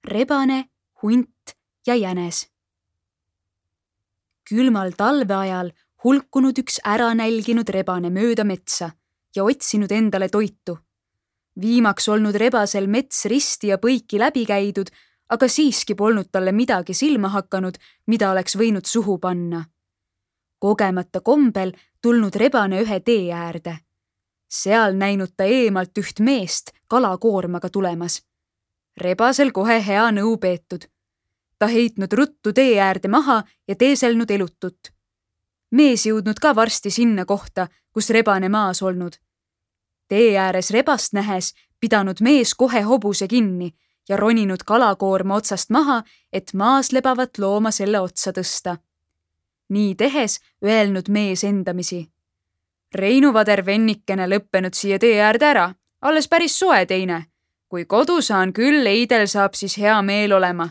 rebane, hunt ja jänes. Külmal talveajal hulkunud üks ära nälginud rebane mööda metsa ja otsinud endale toitu. Viimaks olnud rebasel mets risti ja põiki läbi käidud, aga siiski polnud talle midagi silma hakanud, mida oleks võinud suhu panna. Kogemata kombel tulnud rebane ühe tee äärde. Seal näinud ta eemalt üht meest kalakoormaga tulemas. Rebasel kohe hea nõu peetud. Ta heitnud ruttu tee äärde maha ja teeselnud elutut. Mees jõudnud ka varsti sinna kohta, kus rebane maas olnud. Tee ääres rebast nähes pidanud mees kohe hobuse kinni ja roninud kalakoorma otsast maha, et maas lebavat looma selle otsa tõsta. Nii tehes öelnud mees endamisi. Reinu vader vennikene lõppenud siia tee äärde ära, alles päris soe teine. Kui kodu saan küll, eidel saab siis hea meel olema.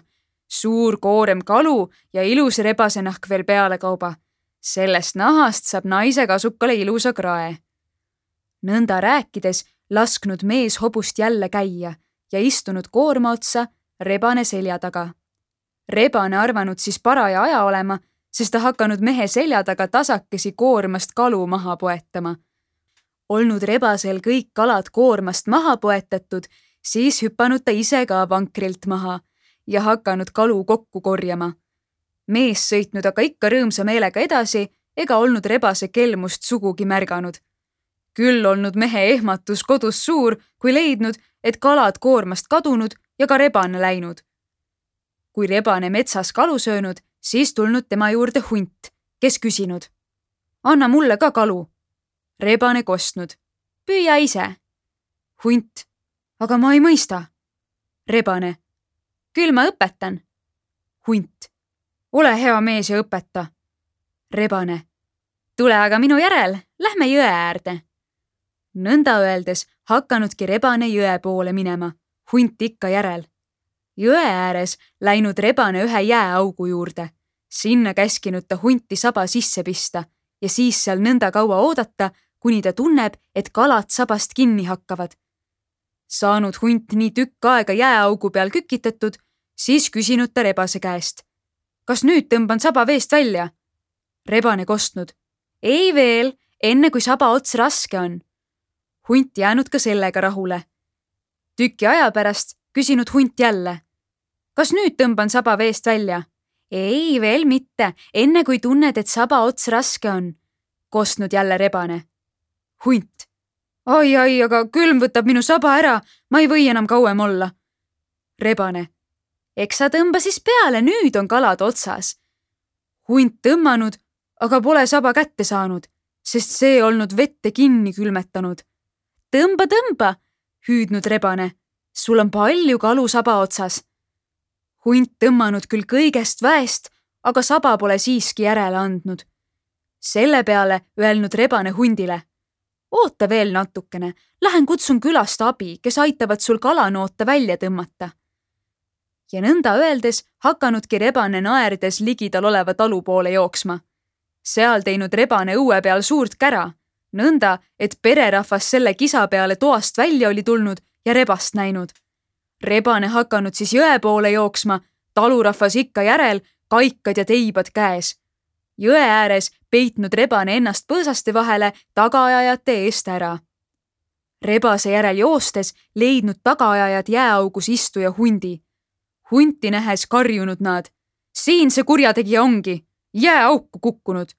Suur koorem kalu ja ilus rebasenahk veel peale kauba. Sellest nahast saab naise kasukale ilusa krae. Nõnda rääkides lasknud mees hobust jälle käia ja istunud koorma otsa rebane selja taga. Rebane arvanud siis paraja aja olema, sest ta hakanud mehe selja taga tasakesi koormast kalu maha poetama. Olnud rebasel kõik kalad koormast maha poetatud, siis hüpanud ta ise ka vankrilt maha ja hakanud kalu kokku korjama. Mees sõitnud aga ikka rõõmsa meelega edasi ega olnud rebase kelmust sugugi märganud. Küll olnud mehe ehmatus kodus suur, kui leidnud, et kalad koormast kadunud ja ka rebane läinud. Kui rebane metsas kalu söönud, siis tulnud tema juurde hunt, kes küsinud. Anna mulle ka kalu. Rebane kostnud. Püüa ise. Hunt. Aga ma ei mõista. Rebane. Küll ma õpetan. Hunt. Ole hea mees ja õpeta. Rebane. Tule aga minu järel, lähme jõe äärde. Nõnda öeldes hakkanudki rebane jõe poole minema, hunt ikka järel. Jõe ääres läinud rebane ühe jääaugu juurde. Sinna käskinud ta hunti saba sisse pista ja siis seal nõnda kaua oodata, kuni ta tunneb, et kalad sabast kinni hakkavad. Saanud hunt nii tükk aega jääaugu peal kükitatud, siis küsinud ta rebase käest. Kas nüüd tõmban saba veest välja? Rebane kostnud. Ei veel, enne kui saba ots raske on. Hunt jäänud ka sellega rahule. Tüki aja pärast küsinud hunt jälle. Kas nüüd tõmban saba veest välja? Ei, veel mitte, enne kui tunned, et saba ots raske on. Kostnud jälle rebane. Hunt. Ai, aga külm võtab minu saba ära, ma ei või enam kauem olla. Rebane. Eks sa tõmba siis peale, nüüd on kalad otsas. Hunt tõmmanud, aga pole saba kätte saanud, sest see olnud vette kinni külmetanud. Tõmba, hüüdnud rebane. Sul on palju kalu saba otsas. Hunt tõmmanud küll kõigest väest, aga saba pole siiski järele andnud. Selle peale öelnud rebane hundile. Oota veel natukene, lähen kutsun külast abi, kes aitavad sul kalanoota välja tõmmata. Ja nõnda öeldes hakkanudki rebane naerdes ligidal oleva talu poole jooksma. Seal teinud rebane õue peal suurt kära. Nõnda, et pererahvas selle kisa peale toast välja oli tulnud ja rebast näinud. Rebane hakanud siis jõe poole jooksma, talurahvas ikka järel, kaikad ja teibad käes. Jõe ääres peitnud rebane ennast põõsaste vahele tagaajajate eest ära. Rebase järel joostes leidnud tagaajajad jääaugus istuja hundi. Hunti nähes karjunud nad. Siin see kurjategija ongi, jääauku kukkunud.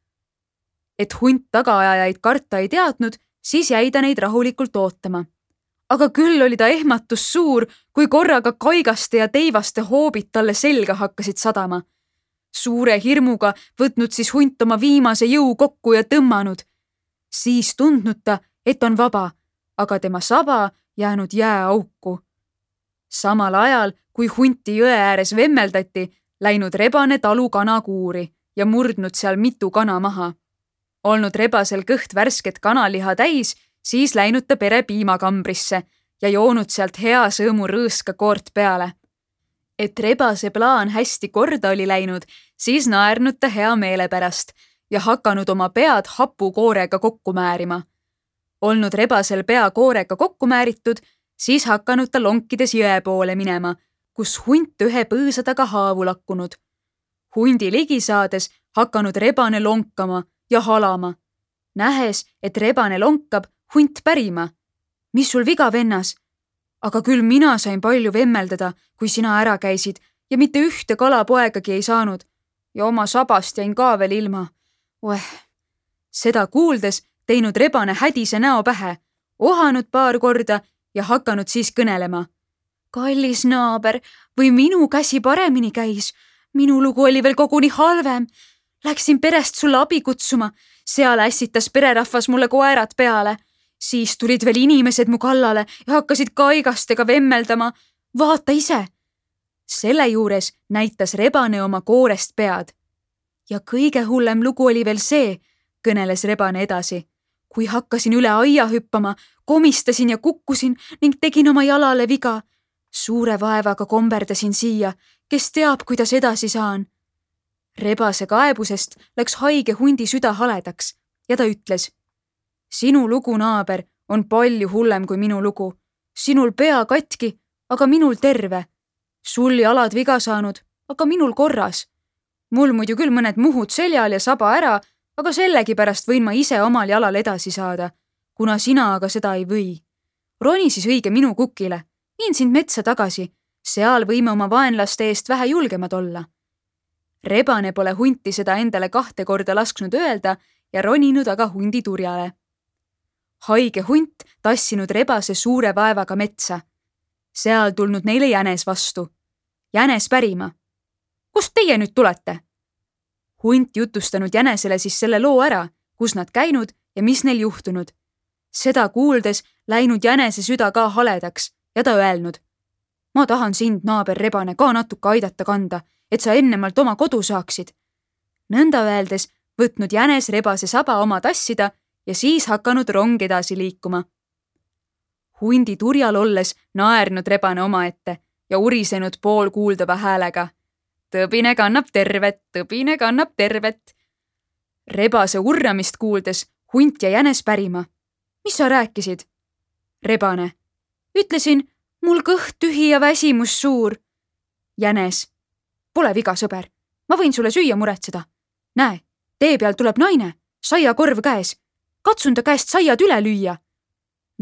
Et hunt tagaajajaid karta ei teadnud, siis jäi ta neid rahulikult ootama. Aga küll oli ta ehmatus suur, kui korraga kaigaste ja teivaste hoobid talle selga hakkasid sadama. Suure hirmuga võtnud siis hunt oma viimase jõu kokku ja tõmmanud. Siis tundnud ta, et on vaba, aga tema saba jäänud jääauku. Samal ajal, kui hunti jõe ääres vemmeldati, läinud rebane talu kanakuuri ja murdnud seal mitu kana maha. Olnud rebasel kõht värsket kanaliha täis, siis läinud ta pere piimakambrisse ja joonud sealt hea sõõmu rõõska koort peale. Et rebase plaan hästi korda oli läinud, siis naernud ta hea meele pärast ja hakanud oma pead hapukoorega kokku määrima. Olnud rebasel pea koorega kokku määritud, siis hakanud ta lonkides jõe poole minema, kus hunt ühe põõsa taga haavu lakkunud. Hundi ligi saades hakanud rebane lonkama ja halama. Nähes, et rebane lonkab, hunt pärima. Mis sul viga, vennas? Aga küll mina sain palju vemmeldada, kui sina ära käisid ja mitte ühte kalapoegagi ei saanud. Ja oma sabast jäin ka veel ilma. Seda kuuldes teinud rebane hädise näo pähe, ohanud paar korda ja hakanud siis kõnelema. Kallis naaber, või minu käsi paremini käis? Minu lugu oli veel koguni halvem. Läksin perest sulle abi kutsuma, seal ässitas pererahvas mulle koerad peale. Siis tulid veel inimesed mu kallale ja hakkasid kaigastega vemmeldama. Vaata ise! Selle juures näitas rebane oma koorest pead. Ja kõige hullem lugu oli veel see, kõneles rebane edasi. Kui hakkasin üle aia hüppama, komistasin ja kukkusin ning tegin oma jalale viga. Suure vaevaga komberdasin siia, kes teab, kuidas edasi saan. Rebase kaebusest läks haige hundi süda haledaks ja ta ütles. Sinu lugu, naaber, on palju hullem kui minu lugu. Sinul pea katki, aga minul terve. Sul jalad viga saanud, aga minul korras. Mul muidu küll mõned muhud seljal ja saba ära, aga sellegipärast võin ma ise omal jalal edasi saada, kuna sina aga seda ei või. Roni siis õige minu kukile, viin sind metsa tagasi, seal võime oma vaenlaste eest vähe julgemad olla. Rebane pole hunti seda endale 2 korda lasknud öelda ja roninud aga hundi turjale. Haige hunt tassinud rebase suure vaevaga metsa. Seal tulnud neile jänes vastu. Jänes pärima. Kust teie nüüd tulete? Hunt jutustanud jänesele siis selle loo ära, kus nad käinud ja mis neil juhtunud. Seda kuuldes läinud jänese süda ka haledaks ja ta öelnud. Ma tahan sind, naaber rebane, ka natuke aidata kanda, et sa ennemalt oma kodu saaksid. Nõnda öeldes võtnud jänes rebase saba oma tassida ja siis hakanud rong edasi liikuma. Hundi turjal olles naernud rebane omaette ja urisenud poolkuuldava häälega. Tõbine kannab tervet, tõbine kannab tervet. Rebase urramist kuuldes hunt ja jänes pärima. Mis sa rääkisid? Rebane. Ütlesin, mul kõht tühi ja väsimus suur. Jänes. Pole viga, sõber. Ma võin sulle süüa muretseda. Näe, tee peal tuleb naine, saiakorv käes. Katsun ta käest saiad üle lüüa.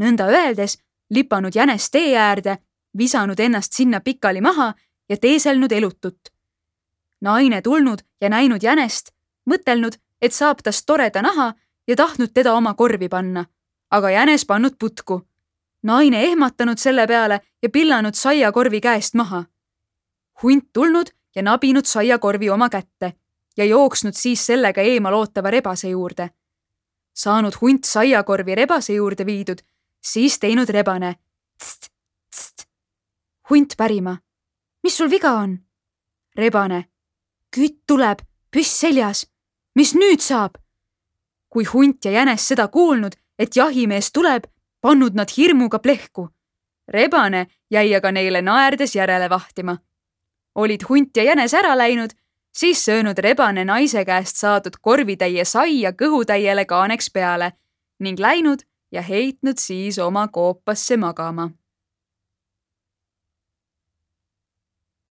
Nõnda öeldes lipanud jänes tee äärde, visanud ennast sinna pikali maha ja teeselnud elutut. Naine tulnud ja näinud jänest, mõtelnud, et saab tast toreda naha ja tahtnud teda oma korvi panna, aga jänes pannud putku. Naine ehmatanud selle peale ja pillanud saiakorvi käest maha. Hunt tulnud ja nabinud saiakorvi oma kätte ja jooksnud siis sellega eemal ootava rebase juurde. Saanud hunt saiakorvi rebase juurde viidud, siis teinud rebane. Tst, tst. Hunt pärima. Mis sul viga on? Rebane. Kütt tuleb, püss seljas. Mis nüüd saab? Kui hunt ja jänes seda kuulnud, et jahimees tuleb, pannud nad hirmuga plehku. Rebane jäi aga neile naerdes järele vahtima. Olid hunt ja jänes ära läinud, siis söönud rebane naise käest saadud korvitäie saia kõhutäiele kaaneks peale ning läinud ja heitnud siis oma koopasse magama.